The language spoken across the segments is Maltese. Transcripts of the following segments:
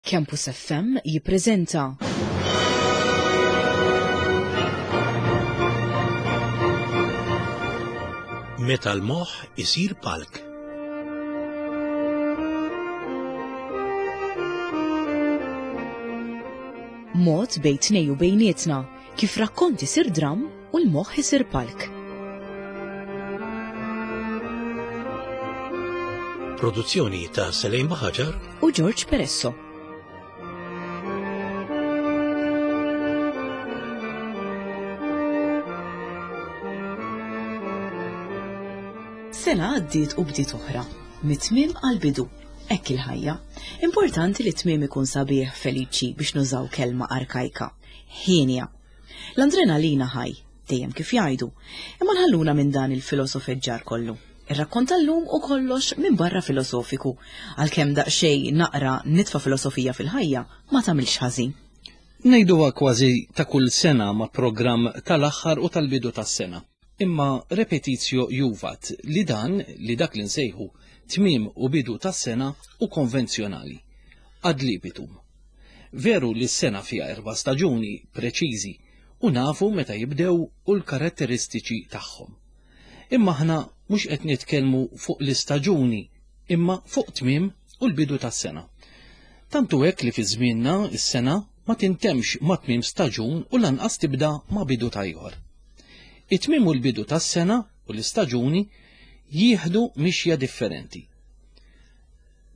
Campus FM jippreżenta. Meta l-moħħ isir palk. Mod bejn tnej u bejnietna kif rakkont isir dramm u l-moħħ isir palk. Produzzjoni ta' Selejn Baħaġar u George Peresso. Sena għaddiet u bdiet oħra, mit-tmiem għal-bidu. Hekk il-ħajja. Importanti li t-tmiem ikun sabiħ feliċi biex nużaw kelma arkajka. Ħienja. L-andrenalina ħaj, dejjem kif jgħidu. Imma nħalluna minn dan il-filosofeġġar kollu. Ir-rakkont tal-lum hu kollox minbarra filosofiku, għalkemm daqsxejn naqra nitfa' filosofija fil-ħajja ma tagħmilx ħażin. Ngħiduha kważi ta' kull sena ma' programm tal-aħħar u tal-bidu tas-sena. Imma repetitio juvat li dan li dak li nsejħu tmiem u bidu tas-sena hu konvenzjonali. Ad libitum. Veru li s-sena fiha erba' staġuni preċiżi u nafu meta jibdew u l-karatteristiċi tagħhom. Imma aħna mhux qed nitkellmu fuq l-istaġuni imma fuq tmiem u l-bidu tas-sena. Tant hu hekk li fi żmienna s-sena ma tintemmx ma' tmiem staġun u lanqas tibda ma' bidu ta' ieħor. It-tmiem u l-bidu tas-sena u l-istaġuni jieħdu mixja differenti.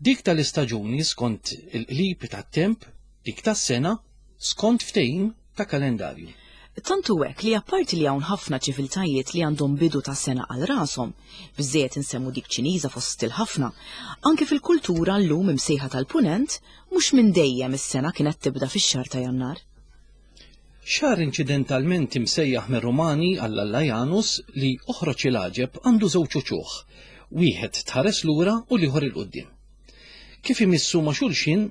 Dik tal-istaġuni skont il-qlib tat-temp, dik tas-sena skont ftehim ta' kalendarju. Tant hu hekk li apparti li hawn ħafna ċiviltajiet li għandhom bidu ta' sena għal rashom, biżżejjed insemmu dik Ċiniża fost il-ħafna, anke fil-kultura llum imsejħa tal-Punent, mhux minn dejjem is-sena kienet tibda fix-xahar ta' Jannar. Xahar inċidentalment imsejjaħ mir-Rumani għall-alla Janus li oħroġ il-għaġeb għandu żewġ uċuħ, wieħed tħares lura u l-ieħor 'il quddiem. Kif imissu ma' xulxin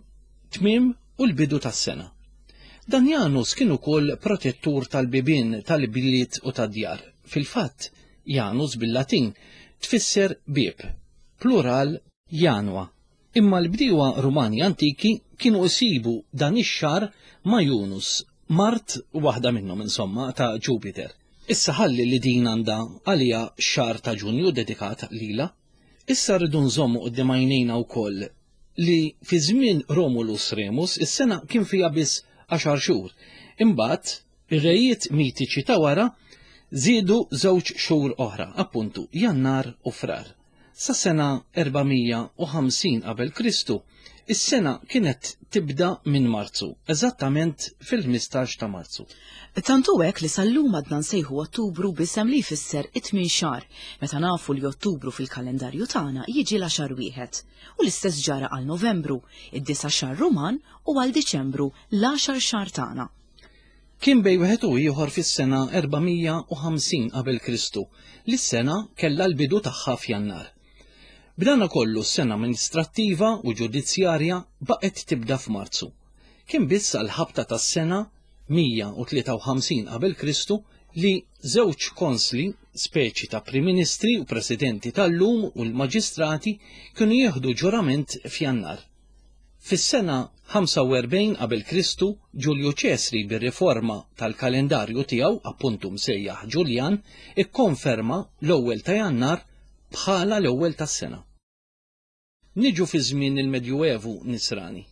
tmiem u l-bidu tas-sena. Dan Janus kien ukoll protettur tal-bibien tal-bliet u tad-djar. Fil-fatt, Janus bil-Latin tfisser bieb, plural Janua. Imma l-bdiewa Rumani antiki kienu jsibu dan ix-xahar ma' Junus, mart waħda minnhom insomma, ta' Ġupiter. Issa ħalli li din għandha għaliha x-xahar ta' Ġunju dedikat lilha. Issa rridu nżommu quddiem għajnejna wkoll li fi żmien Romulus Remus is-sena kien fiha biss għaxar xhur. Imbagħad ir-rejiet mitiċi ta' wara żiedu żewġ xhur oħra, appuntu Jannar u Frar. Sas-sena 450 qabel Kristu, is-sena kienet tibda minn Marzu, eżattament fil-15 ta' Marzu. Tant hu hekk li sal-lum għadna nsejħu Ottubru b'isem li jfisser it-tmien xahar, meta nafu li Ottubru fil-kalendarju tagħna jiġi l-għaxar wieħed. U l-istess ġara għal Novembru, id-disa' xahar Ruman, u għal Diċembru, l-għaxar xahar tagħna. Kien bejn wieħed u ieħor fis-sena 450 qabel Kristu li s-sena kellha l-bidu tagħha f'Jannar. B'dana kollu s-sena amministrattiva u ġudizzjarja baqgħet tibda f'Marzu. Kien biss għall-ħabta tas-sena 153 qabel Kristu li żewġ konsli, speċi ta' Prim Ministri u Presidenti tal-lum u l-maġistrati kienu jieħdu ġurament f'Jannar. Fis-sena 45 qabel Kristu, Ġulju Ċesri bir-riforma tal-kalendarju tiegħu, appuntu msejjaħ Ġuljan, ikkonferma l-ewwel ta' Jannar bħala l-ewwel tas-sena. Niġu fi żmien il-Medjuevu Nisrani.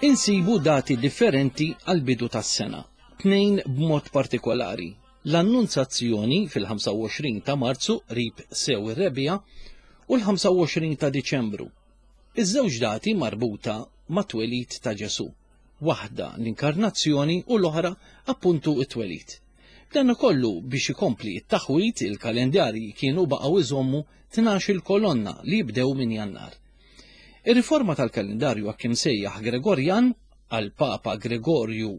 Insibu dati differenti għall-bidu tas-sena, tnejn b'mod partikolari, l-Annunzazzjoni fil-25 ta' Marzu qrib sew ir-Rebbiegħa u l-25 ta' Diċembru. Iż-żewġ dati marbuta mat-twelid ta' Ġesù, waħda l-Inkarnazzjoni u l-oħra appuntu t-twelid. B'dan kollu biex ikompli t-taħwid il-kalendarji kienu baqgħu iżommu tnax-il kolonna li jibdew minn Jannar. Ir-riforma tal-kalendarju hekk imsejjaħ Gregorjan għall-Papa Gregorju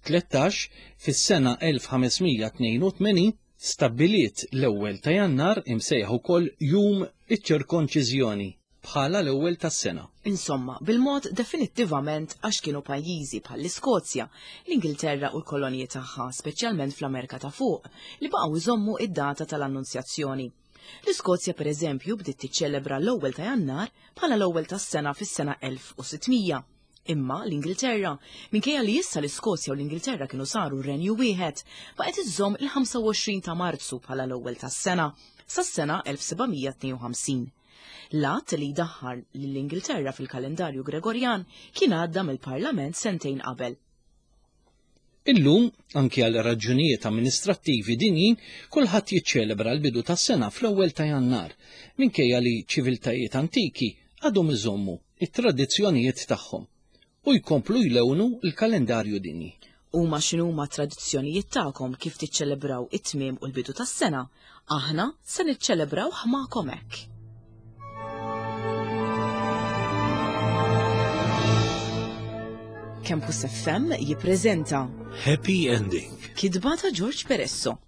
13 fis-sena 1582 stabbiliet l-ewwel ta' Jannar imsejjaħ ukoll Jum iċ-Ċirkonċiżjoni. bħala l-ewwel tas-sena. Insomma, bil-mod definittivament għax kienu pajjiżi bħall-Iskozja, l-Ingilterra u l-kolonji tagħha, speċjalment fl-Amerika ta' Fuq, li baqgħu jżommu id-data tal-Annunzjazzjoni. L-Iskozja pereżempju bdiet tiċċelebra l-ewwel ta' Jannar bħala l-ewwel tas-sena fis-sena 1600. Imma l-Ingilterra, minkejja li issa l-Iskozja u l-Ingilterra kienu saru renju wieħed, baqgħet iżżomm il-25 ta' Marzu bħala l-ewwel tas-sena sas-sena 1752. L-att li jdaħħal lill-Ingilterra fil-kalendarju Gregorjan kien għadda mill-Parlament sentejn qabel. Illum, anki għal raġunijiet amministrattivi dinjin, kulħadd jiċċelebra l-bidu tas-sena fl-ewwel ta' Jannar, minkejja li ċiviltajiet antiki għadhom iżommu it-tradizzjonijiet tagħhom u jkomplu jlewnu l-kalendarju dinji. Huma x'inhuma t-tradizzjonijiet tagħkom kif tiċċelebraw it-tmiem u l-bidu tas-sena, aħna se niċċelebrawh magħkom hekk. Campus FM jippreżenta Happy Ending. Kitba ta' George Peresso.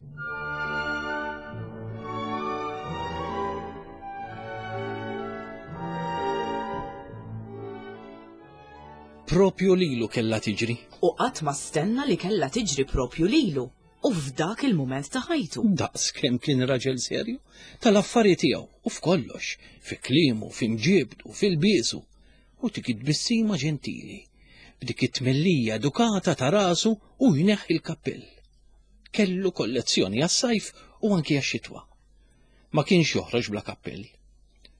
Propju lilu kellha tiġri. U qatt ma stenna li kellha tiġri propju lilu u f'dak il-mument ta' ħajtu. Daqs kemm kien raġel serju tal-affari tiegħu u f'kollox, fi kliemu, fi mġiebdu, fil-biesu, u dik it-tbissima ġentili, b'dik it-tmellija edukata ta' rasu u jneħħi l-kappell. Kellu kollezzjoni għas-sajf u anki għax-xitwa. Ma kienx joħroġ bla kappell.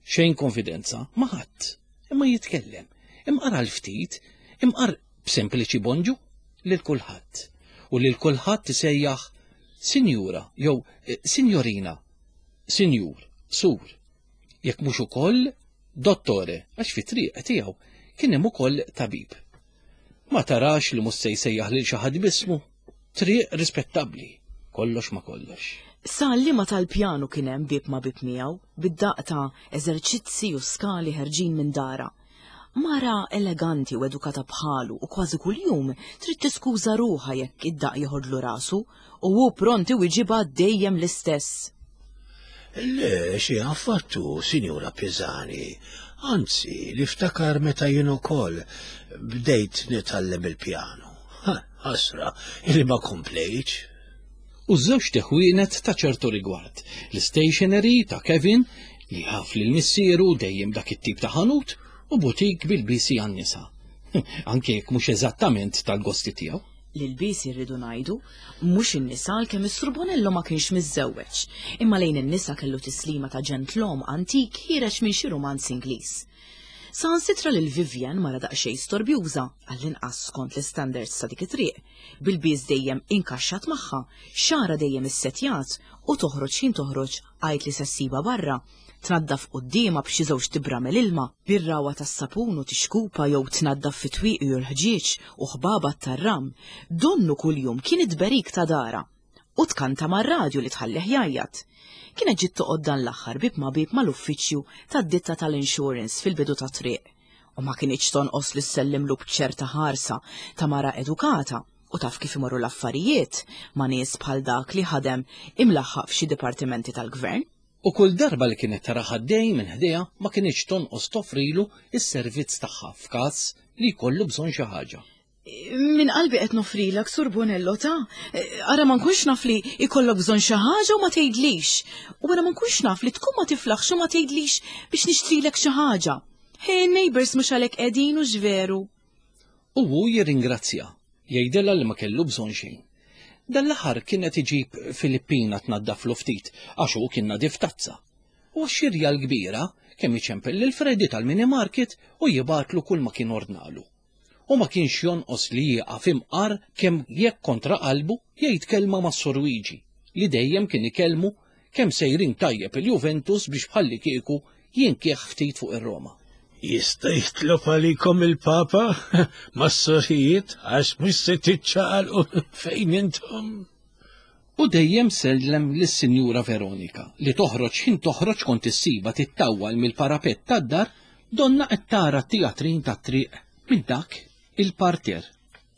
Xejn konfidenza ma' ħadd, imma jitkellem, imqar għal ftit, imqar b'sempliċi bonġu lil kulħadd u lil kulħadd isejjaħ sinjura jew eh, sinjorina, sinjur, sur, jekk mhux ukoll dottore għax fit-triq tiegħu kien hemm ukoll tabib. Ma tarax li mhux se jsejjaħ lil xi ħadd b'ismu, triq rispettabbli, kollox ma kollox. Sa liema tal-pjanu kien hemm bieb ma' bieb miegħu, bid-daqq ta' eżerċizzi u skali ħerġin minn darha. Mara eleganti u edukata bħalu u kważi kuljum trid tiskuża ruħha jekk id-daqq jeħodlu rasu u hu pront iwiġibha dejjem l-istess. Le, xi affattu, Sinjura Pisani. Anzi, niftakar meta jien ukoll bdejt nitgħallem il-pjanu. Ħasra, illi ma komplejtx. U ż-żewġt iħwienet ta' ċertu rigward, l-istationery ta' Kevin, li jaf lil missieru dejjem dak it-tip ta' ħanut, u butik bil-bisi għan-nisa. Anke jekk mhux eżattament tal-gosti tiegħu. L-ilbiesi rridu ngħidu, mhux in-nisa għalkemm is-Sur Bonello ma kienx miżżewweġ, imma lejn in-nisa kellu tislima ta' ġentlom antik ħiereġ minn xi rumanz Ingliż. Saħansitra lil Vivian mara daqsxejn storbjuża, għall-inqas skont l-istandards ta' dik it-triq, bil-bies dejjem inkaxxat magħha, xagħarha dejjem issettjat u toħroġ x'ħin toħroġ għid li se ssibha barra, tnaddaf quddiemha b'xi żewġt ibramel ilma, bir-ragħwa tas-sapun u tixkupa jew tnaddaf fit-twieqi u l-ħġieġ u ħbabat tar-ram, donnu kuljum kien it-tberik ta' darha. U tkanta mar-radju li tħallih jgħajjat. Kienet ġiet toqgħod dan l-aħħar bieb ma' bieb mal-uffiċċju tad-ditta tal-insurance fil-bidu tat-triq. U ma kinitx tonqos li ssellimlu b'ċerta ħarsa ta' mara edukata u taf kif imorru l-affarijiet ma' nies bħal dak li ħadem imlaħħaq f'xi dipartimenti tal-gvern. U kull darba li kienet tarah għaddej minn ħdejha ma kinitx tonqos toffrilu s-servizz tagħha f'każ li jkollu bżonn xi ħaġa. Minn qalbi qed noffrilek, Sur Bonello, ta' ara ma nkunx naf li jkollok bżonn xi ħaġa u ma tgħidlix. U ara ma nkunx naf li tkun ma tiflaħx u ma tgħidlix biex nixtrilek xi ħaġa. Hey, neighbors mhux għalhekk qegħdin u x'veru. U hu jirringrazzja, jgħidilha li ma kellu bżonn xejn. Dan l-aħħar kien qed iġib Filippina tnaddaflu ftit għax hu kien nadif tazza. U għax-xirja l-kbira kemm iċempel lil Freddy tal-mini market u jibgħatlu kull ma kien ordnalu. U ma kienx jonqos li jieqaf imqar kemm jekk kontra qalbu jgħid kelma mas-Sur Wiġi li dejjem kien ikellmu kemm sejrin tajjeb il-Juventus biex bħallikieku jinkieħ ftit fuq ir-Roma. Jista' jitlob għalikom il-Papa mas-sorijiet għax mhux se tiċċaqalqu fejn intom. U dejjem sellem lis-Sinjura Veronika li toħroġ x'ħin toħroġ kont issibha tittawwal mill-parapett tad-dar donnha qed tara t-tijatrin tat-triq minn dak il-parterre.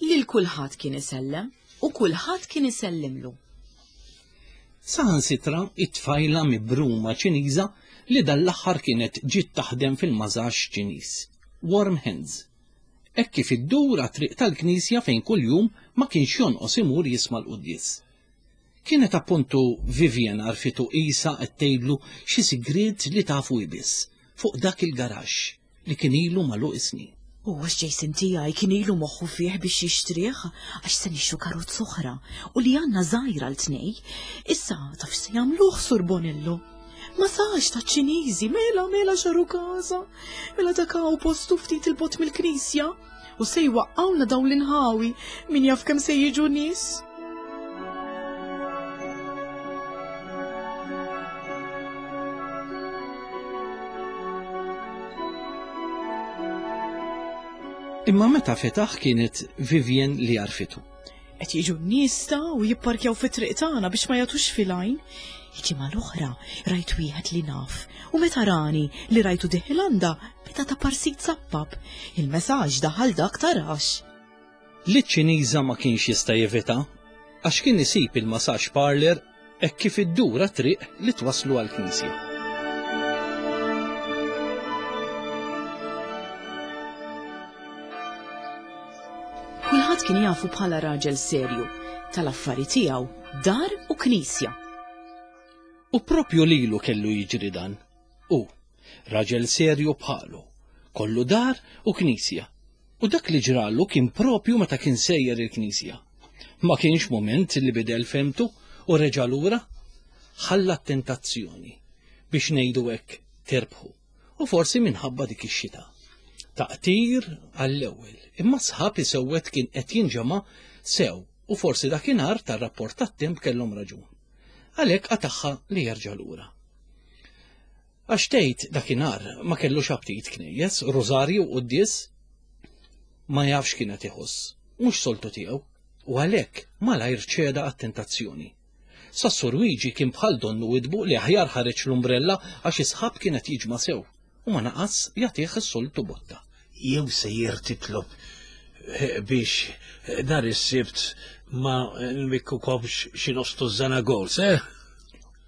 Lil kulħadd kien isellem u kulħadd kien isellimlu. Saħansitra it-tfajla mibruma Ċiniża li dan l-aħħar kienet ġiet taħdem fil-mażax Ċiniż, Warm Hands. Hekk kif iddur għat-triq tal-knisja fejn kuljum ma kienx jonqos imur jisma' l-quddies. Kienet appuntu Vivian għarfitu qisha qed tgħidlu xi sigriet li tafu hi biss fuq dak il-garaxx li kien ilu magħluq is-snin. U għax Jason tiegħi kien ilu moħħu fih biex jixtrih, għax se nixtru karozza oħra u li għandna żgħira l tnej. Issa taf se jagħmluh Sur Bonello. Ma sax ta' ċiniżi, mela mela xaru każa. Mela dak hawn postu ftit il-bot mill-knisja u se jwaqqawna dawn l-inħawi min jaf kemm se jiġu nies. Imma meta fetaħ kienet Vivian li għarfitu. Qed jiġu n-nies ta' u jipparkjaw fit-triq tagħna biex ma jagħtux fil-għajn. Il-ġimgħa l-oħra rajt wieħed li naf u meta rani li rajtu diħil għandha beda ta' parsit zappab. Il-messaġġ daħal dak tarax. Li ċ-Ċiniża ma kienx jista' jevita għax kien isib il-massage parlour hekk kif iddur għat-triq li twasslu għall-knisja. Kulħadd kien jafu bħala raġel serju, tal-affari tiegħu, dar u knisja. U propju lilu kellu jiġri dan. Hu, raġel serju bħalu, kollu dar u knisja. U dak li ġralu kien propju meta kien sejjer il-knisja. Ma kienx mument li bidel fehmtu u reġa' lura. Ħalla t-tentazzjoni, biex ngħidu hekk, tirbħu. U forsi minħabba dik ix-xita. Taqtir għall-ewwel, imma sħab isewwed kien qed jinġema' sew u forsi dakinhar tar-rapport tat-temp kellhom raġun. Għalhekk qatagħha li jerġa' lura. Għax tgħid dakinhar ma kellux aptit knejjes, rużarju u quddies? Ma jafx kien qed iħoss, mhux soltu tiegħu, u għalhekk malajr ċeda għat-tentazzjoni. Sas-Sur Wiġi kien bħal donnu widbu li aħjar ħareġ l-umbrella għax is-sħab kien qed jiġma' sew u ma naqas jagħtih is-soltu botta. Jew sejjer titlob eh, biex eh, nhar is-Sibt ma nbikkukomx xi nofs tużżana goals, eh?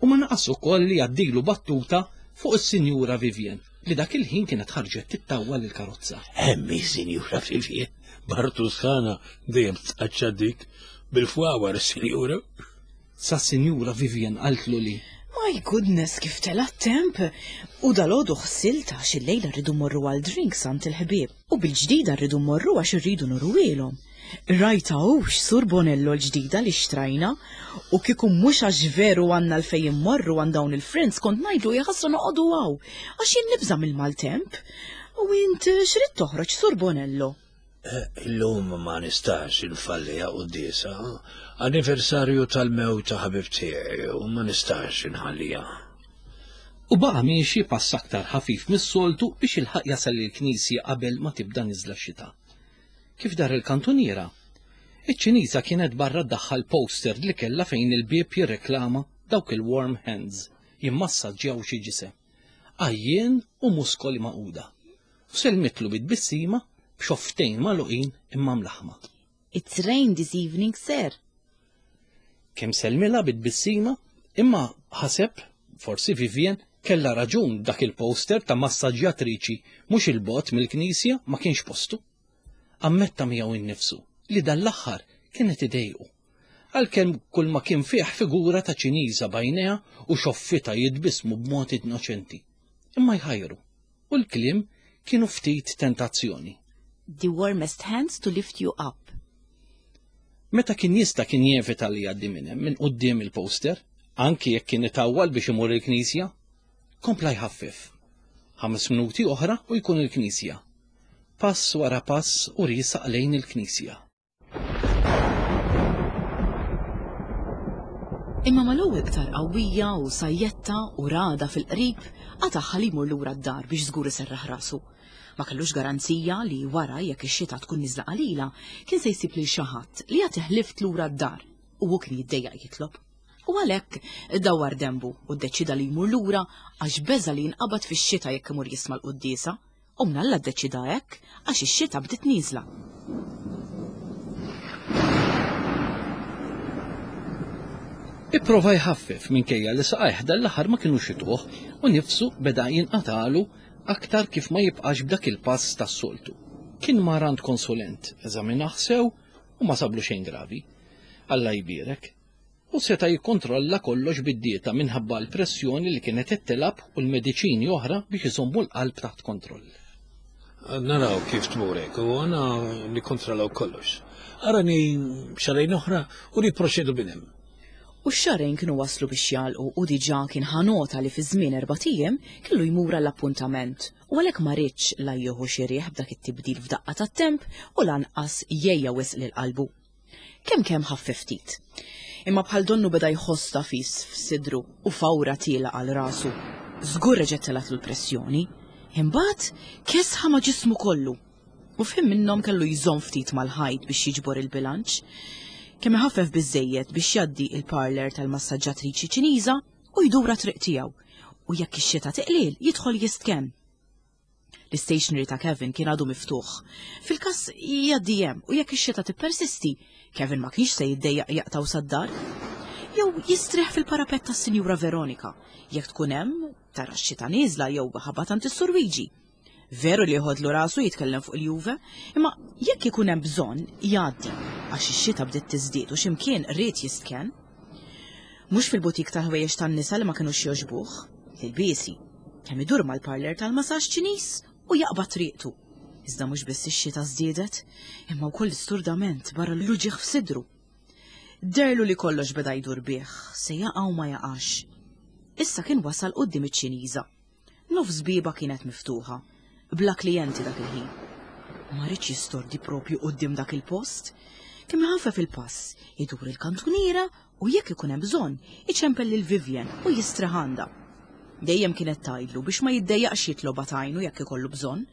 U ma naqas ukoll li jgħaddilu battuta fuq is-Sinjura Vivien li dak il-ħin kienet ħarġet tittawwal il-karozza. Hemmi, Sinjura Vivien, Bartu sħana dejjem tqaċċa dik bil-fwawar, Sinjura. Sa Sinjura Vivien qaltlu li My goodness, kif tela' t-temp! U dalgħodu ħsilt għax illejla rridu mmorru għal drinks għand il-ħbieb. U bil-ġdida rridu mmorru għax irridu nuruhielhom. Rajtha hux, Sur Bonello l-ġdida li xtrajna? U kieku mhux għax veru għandna għalfejn immorru għand dawn il-friends kont ngħidlu jaħasra noqogħdu hawn, għax jien nibża' mill-maltemp. U int x'ridt toħroġ, Sur Bonello? Illum ma nistax infalliha quddiesa, anniversarju tal-mewt ta' ħabib tiegħi u ma nistax inħalliha. U baqa' miexi pass aktar ħafif mis-soltu biex jilħaq jasal il-knisja qabel ma tibda niżla x-xita. Kif dar il-kantuniera, iċ-Ċiniża kienet barra ddaħħal poster li kellha fejn il-bieb jirreklama dawk il-warm hands jimmassaġġjaw xi ġisem, għajjien u muskoli magħquda. U sellmitlu bi tbissima b'xofftejn magħluqin imma mlaħħma. It's rain this evening, sir. Kemm sellmilha bi tbissima, imma ħaseb, forsi Vivien kellha raġun dak il-poster ta' massaġġjatriċi mhux 'il bogħod mill-knisja ma kienx postu. Ammetta miegħu innifsu li dan l-aħħar kien qed idejqu. Għalkemm kull ma kien fih figura ta' Ċiniża b'għajnejha u xoffitha jitbissmu b'mod innoċenti. Imma jħajru. U l-kliem kienu ftit tentazzjoni. The warmest hands to lift you up. Meta kien jista' kien jevita li jgħaddi minn hemm minn quddiem il-poster, anki jekk kien itawwal biex imur il-knisja. Kompla jħaffef. Ħames minuti oħra u jkun il-knisja. Pass wara pass u riesaq lejn il-knisja. Imma mal-ewwel qtar qawwija u sajjetta u ragħda fil-qrib, qatagħha li jmur lura d-dar biex żgur iserraħ rasu. Ma kellux garanzija li wara jekk ix-xita tkun niżla qalila, kien se jsib lil xi ħadd li jagħtih lift lura d-dar u hu kien jiddejjaq jitlob. U għalhekk dawwar denbu u ddeċieda li jmur lura għax beża' li jinqabad fix-xita jekk imur jisma' l-quddiesa. U mnalla ddeċieda hekk għax ix-xita bdiet nieżla. Ipprova jħaffef minkejja li saqajh dan l-aħħar ma kinux ituh u nifsu beda jinqatagħlu aktar kif ma jibqax b'dak il-pass tas-soltu. Kien mar għand konsulent, eżaminah sew u ma sablu xejn gravi. Alla jbierek. U seta' jikkontrolla kollox bid-dieta minħabba l-pressjoni li kienet qed tilgħab u l-mediċini oħra biex iżommu l-qalb taħt kontroll. Naraw kif tmur hekk u għana nikkontrollaw kollox. Arani xarejn oħra u nipproċedu minn hemm. U x-xahrejn kienu waslu biex jagħlqu u diġà kien ħa nota li fi żmien erbat ijiem kellu jmur għall-appuntament u għalhekk ma riedx la jieħu xi riħ b'dak it-tibdil f'daqqa tat-temp u lanqas jgħejja wisq lil qalbu. Kemm kemm ħaffef ftit. Imma bħal donnu beda jħoss tagħfis f'sidru u fawra tiela' għal rasu. Żgur reġgħet telgħatlu l-pressjoni. Imbagħad kesħa ma' ġismu kollu. U f'ħin minnhom kellu jżomm ftit mal-ħajt biex jiġbor il-bilanċ. Kemm iħaffef biżżejjed biex jgħaddi il-parlour tal-massaġġatriċi Ċiniża u jdur għat-triq tiegħu. U jekk ix-xita tiqliel, jidħol jistkenn. L-istationery ta' Kevin kien għadu miftuħ. Fil-każ jgħaddi hemm u jekk ix-xita tippersisti, Kevin ma kienx se jiddejjaq jaqtgħu sad-dar. Jew jistrieħ fil-parapett tas-Sinjura Veronika, jekk tkun hemm, tara x-xita nieżla jew ħabat għand is-Sur Luigi. Veru li joħodlu rasu jitkellem fuq il-Juve, imma jekk ikun hemm bżonn jgħaddi għax ix-xita bdiet tiżdied u x'imkien ried jistkenn. Mhux fil-butik tal-ħwejjeġ tan-nisa li ma kinux jogħġbuh, l-ilbiesi. Kemm idur mal-parlour tal-masaġġ Ċiniż u jaqbad triqtu. Iżda mhux biss ix-xita żdiedet, imma wkoll l-isturdament barra l-uġigħ f'sidru. Deherlu li kollox beda jdur bih, se jaqa' u ma jaqax. Issa kien wasal quddiem iċ-Ċiniża. Nofs bieba kienet miftuħa, bla klijenti dak il-ħin. Ma riedx jistordi propju quddiem dak il-post. Kemm iħaffef il-pass, idur il-kantuniera u jekk ikun hemm bżonn, iċempel lil Vivian u jistrieħ għandha. Dejjem kienet tgħidlu biex ma jiddejjaqx jitlobha tgħinu jekk ikollu bżonn.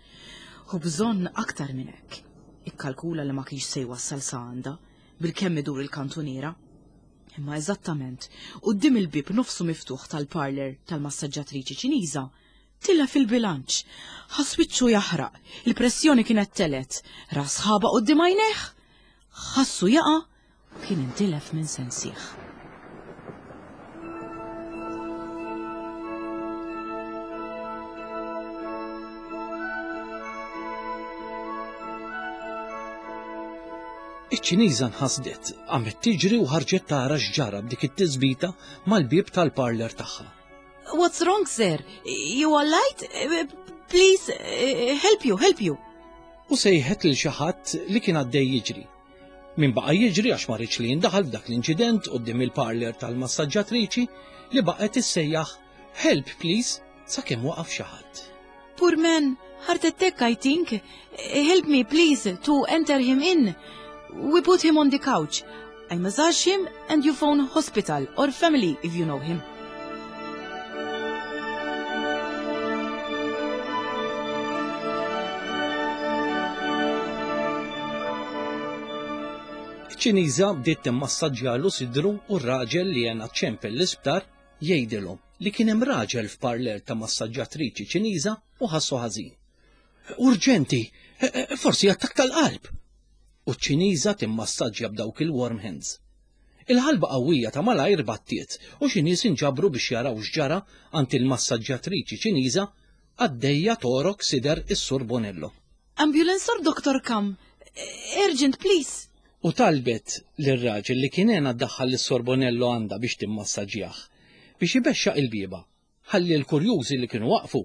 U bżonn aktar minn hekk. Ikkalkula li ma kienx se jwassal sa għandha, bilkemm idur il-kantuniera. Imma eżattament quddiem il-bieb nofsu miftuħ tal-parlour tal-massaġġatriċi Ċiniża, tilef il-bilanċ. Ħass wiċċu jaħraq, il-pressjoni kienet telgħet, ra sħaba quddiem għajnejh, ħassu jaqa' u kien intilef minn sensih. Iċ-Ċiniża nħasdet, qamet tiġri u ħarġet tara x'ġara b'dik it-tisbita mal-bieb tal-parlour tagħha. What's wrong, sir? You all right? Please, help you, help you. U sejħet lil xi ħadd li kien għaddej jiġri. Min baqa' jiġri għax ma riedx li jindaħal f'dak l-inċident quddiem il-parlour tal-massaġġatriċi li baqgħet issejjaħ Help, please, sakemm waqaf xi ħadd. Poor man, heart attack, I think. Help me, please, to enter him in. We put him on the couch. I massage him and you phone hospital or family if you know him. Iċ-Ċiniża bdiet timmassaġġjalu sidru u r-raġel li għenha ċempel l-isptar jgħidilhom li kien hemm raġel f'parler ta' massaġġatriċi Ċiniża u ħassu ħażin. Urġenti, e, e, forsi attakk tal-qalb. U ċ-Ċiniża timmassaġġja b'dawk il-warm hands. Il-ħalba qawwija ta' malajr battiet u xi nies inġabru biex jaraw x'ġara għand il-massaġġatriċi Ċiniża għaddejja torok sider is-Sur Bonello. Ambulance or doctor come? Urgent, please. U talbet lir-raġel li kien għenha ddaħħal lis-Sor Bonello għandha biex timmassaġġjah, biex ibexxaq il-bieba, ħalli l-kurjużi li kienu waqfu,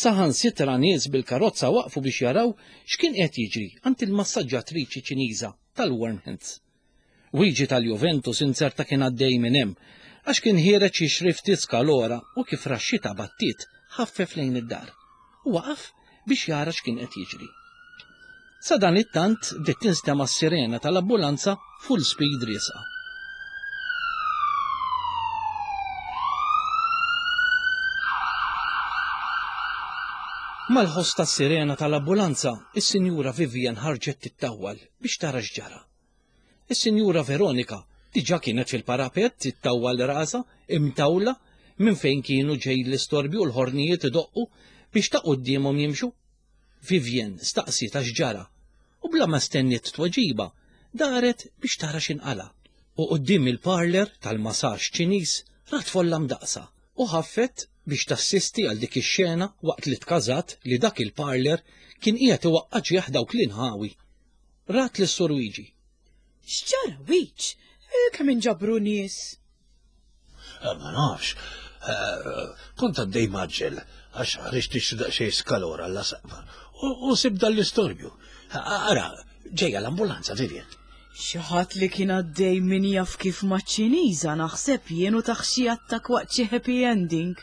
saħansitra nies bil-karozza waqfu biex jaraw x'kien qiegħed jiġri għand il-massaġġatriċi Ċiniża tal-Warm Hands. Luigi tal-Juventus inzerta kien għaddej minn hemm, għax kien ħiereġ jixri ftit skalora u kif ra x-xita battiet, ħaffef lejn id-dar u waqaf biex jara x'kien qed jiġri. Sadanittant bdiet tinstema' s-sirena tal-ambulanza full speed riesqa. Mal-ħoss tas-sirena tal-ambulanza, is-Sinjura Vivian ħarġet tittawwal biex tara x'ġara. Is-Sinjura Veronika diġà kienet fil-parapett tittawwal rasha, imtawla, minn fejn kienu ġej l-istorbju u l-ħornijiet idoqqu biex ta' quddiemhom jimxu. Vivian staqsietha x'ġara u bla ma stenniet tweġiba, daret biex tara x'inqala'. U quddiem il-parlour tal-massage Ċiniż rat folla mdaqqsa u ħaffet biex tassisti għal dik ix-xena waqt li tkażat li dak il-parlour kien qiegħed iwaqqa' ġieħ dawk l-inħawi. Rat lis-Sur Wiġi. X'ġara, Wiġ? Kemm inġabru nies? Eh, ma nafx. Eh, kont għaddej maġġel għax ħriġt nixtri daqsxejn skalora għall saqfa u sib dan l-istorbju. Ara, ġejja l-ambulanza, Vivian. Xi ħadd li kien għaddej min jaf kif maċ-Ċiniża naħseb jien u taħ xi attakk waqt xi happy ending.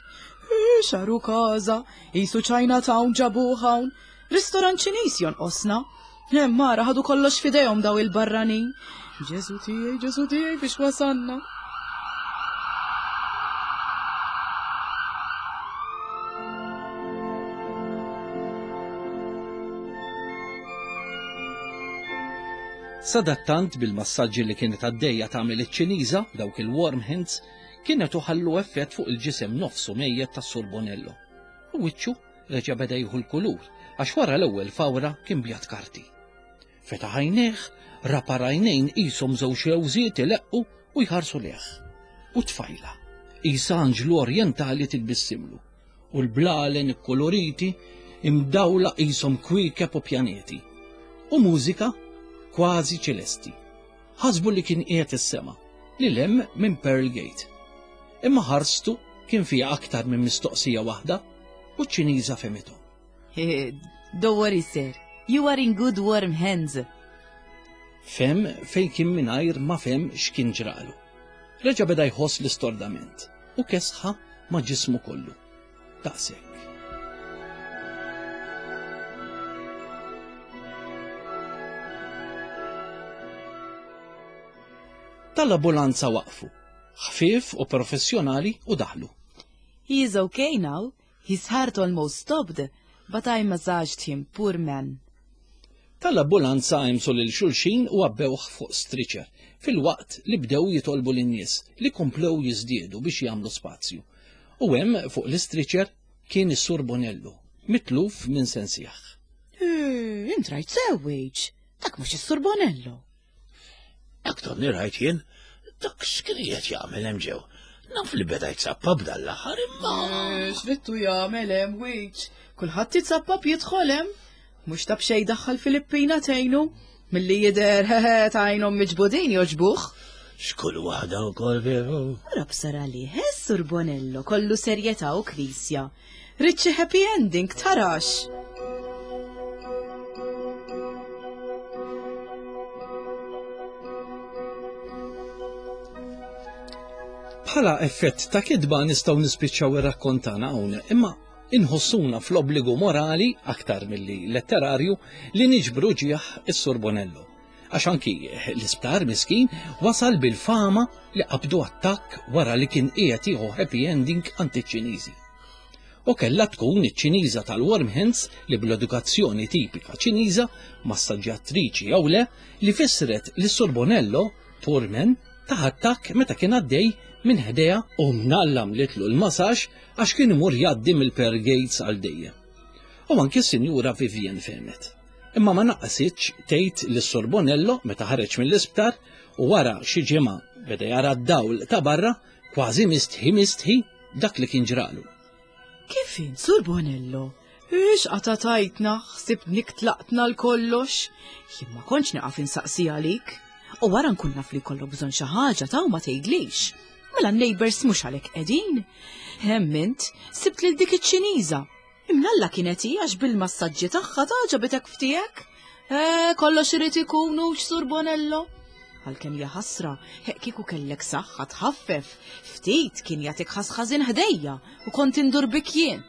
Xaru każa, qisu Chinatown ġabuh hawn. Ristorant Ċiniż jonqosna. Hemm mara ħadu kollox f'idejhom daw il-barranin. Ġesu tiegħi, Ġesu tiegħi biex wasanna. Sadattant bil-massaġġi li kienet għaddejja tagħmel iċ-Ċiniża, dawk il-warm hands, kienet uħallu effett fuq il-ġisem nofsu mejjet tas-Sur Bonello. U wiċċu reġa' beda jieħu l-kulur għax wara l-ewwel fawra kien bjad karti. Fetaħ għajnejh, ra par għajnejn qishom żewġ rewżiet ileqqu u jħarsu lejh. U tfajla, qisha anġlu orjentali titbissimlu, u l-blalen ikkuluriti imdawla qishom kwiekeb u pjaneti. U mużika kważi ċelesti. Ħasbu li kien qiegħed is-sema, lil hemm minn Pearl Gate. Imma ħarstu kien fiha aktar minn mistoqsija waħda u ċ-Ċiniża fehmithom. Don't worry, sir. You are in good warm hands. Fehem fejn kien mingħajr ma fehem x'kien ġralu. Reġa' beda jħoss l-istordament u kesħa ma' ġismu kollu. Daqshekk. Tal-ambulanza waqfu, ħfief u professjonali u daħlu. He is okay now. His heart almost stopped, but I massaged him, poor man. Tal-ambulanza għemsu lil xulxin u għabbewh fuq stretcher, filwaqt li bdew jitolbu lin-nies li komplew jiżdiedu biex jagħmlu spazju. U hemm fuq l-istretcher kien is-Sur Bonello, mitluf minn sensih. Int rajt sew, Wage. Dak mhux is-Sur Bonello. Dak tonni rajt jien, dak x'kien qiegħed jagħmel hemm ġew. Naf li beda jtsappab dan l-aħħar imma. Eh, x'rittu jagħmel hemm wiċ? Kulħadd jitsappab jidħol hemm. Mhux ta' b'xejn daħħal Filippina tgħinu. Milli jidher hehe ta' għajnhom miġbudin jogħġbuh. X'kull waħda wkoll veru. Rabsar għalih, eh, Sur Bonello, kollu serjetà u knisja. Ridt xi happy ending tarax. Bħala effett ta' kitba nistgħu nispiċċaw ir-rakkont tagħna hawn, imma inħossuna fl-obbligu morali aktar milli letterarju li niġbru ġieħ is-Sur Bonello. Għax anki l-isptar miskin wasal bil-fama li qabdu attakk wara li kien qiegħed jieħu happy ending għand iċ-Ċiniżi. U kellha tkun iċ-Ċiniża tal-Warm Hands li bl-edukazzjoni tipika Ċiniża, massaġġjatriċi jew le, li fissret li Sur Bonello, poor man, tah attakk meta kien għaddej minn ħdejha u mnalla mlitlu l-masaġ għax kien imur jgħaddi mill-Pearl Gates għal dejjem. U anki s-Sinjura Vivian fehmet. Imma ma naqsitx tgħid lis-Sur Bonello meta ħareġ mill-isptar u wara xi ġimgħa beda jara d-dawl ta' barra kważi mistħi mistħi dak li kien ġralu. Kif int, Sur Bonello? Ix qata tajtna, ħsibnik tlaqtna l-kollox. Jien ma kontx nieqaf insaqsi għalik. U wara nkun naf li jkollok bżonn xi ħaġa ta' u ma tgħidlix. Mela n-neighbors mhux għalhekk qegħdin. Hemm int, sibt lil dik iċ-Ċiniża. Imnalla kienet hi għax bil-massaġġi tagħha tagħġabitek ftiegħek. Eh, kollox irid ikun hux Sur Bonello. Għalkemm ja ħasra, hekk kieku kellek saħħa tħaffef, ftit kien jagħtik ħasħażin ħdejja u kont indur bik jien.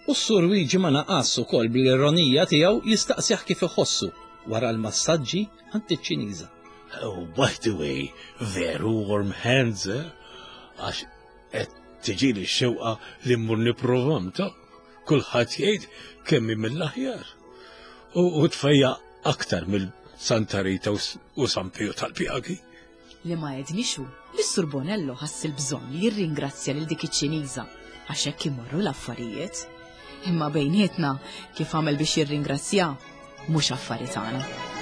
U s-Sur Wiġi ma naqas ukoll bl-ironija tiegħu jistaqsih kif iħossu wara l-massaġġi għand iċ-Ċiniża. Oh, by the way, veru warm hands, eh? Għax Qed tiġini x-xewqa li mmur nipprovam ta' kulħadd jgħid kemm hi mill-aħjar. U tfejja aktar mill Santa Rita u San Pio tal-Pjagi. Li ma għedniex hu li s-Sur Bonello ħass il-bżonn li jirringrazzja lil dik iċ-Ċiniża għax hekk imorru l-affarijiet. Imma bejnietna kif għamel biex jirringrazzja mhux affari tagħna.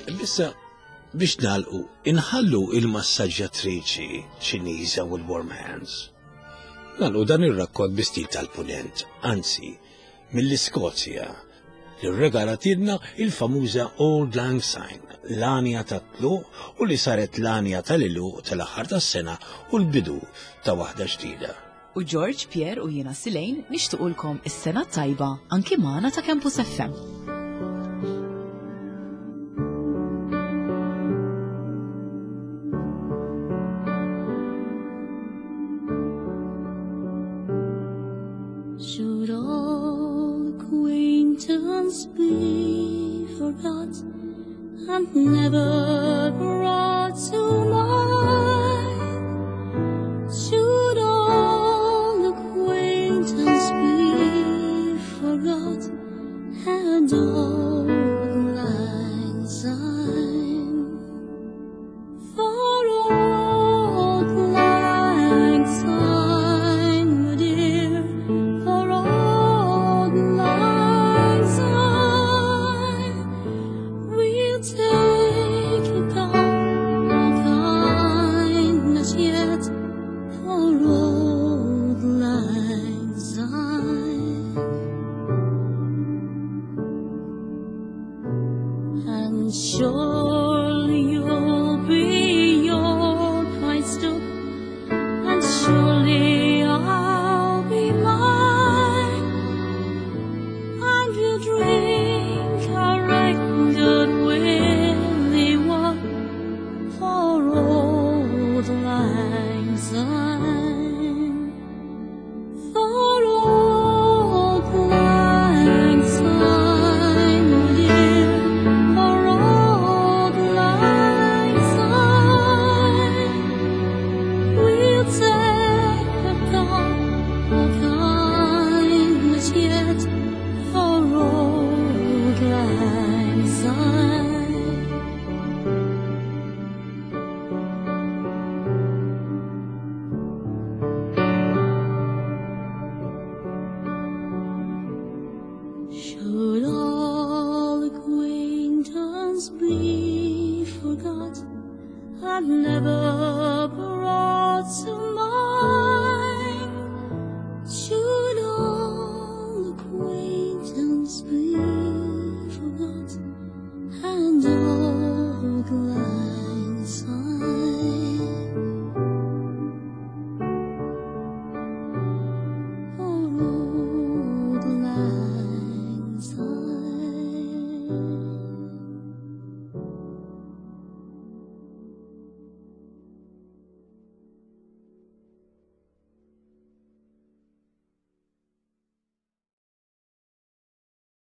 Issa biex nagħlqu, inħallu il-massaġġjatriċi Ċiniża u l-warm hands. Nagħlqu dan ir-rakkont bi stil tal-punent, anzi, mill-Iskozja, li rregalatilna il-famuża Auld Lang Syne, l-għanja tat-tluq u li saret l-għanja tal-għeluq tal-aħħar tas-sena u l-bidu ta' waħda ġdida. U George, Pierre u jiena Silane nixtiqulkom is-sena t-tajba anki magħna ta' Campus FM. Should all acquaintance be forgot and never brought to mind? Should all acquaintance be forgot and auld lang syne? For auld lang syne, my dear, for auld lang syne, we'll take a cup of kindness yet for auld lang syne. And surely you'll be your pride still, and surely I'll be mine, and we'll drink our right good willy one for auld lang syne. For auld lang syne, my dear, for auld lang syne, we'll take a cup of kindness yet for auld lang syne. Should all acquaintance be forgot and never brought to mind? Should all acquaintance be forgot and auld lang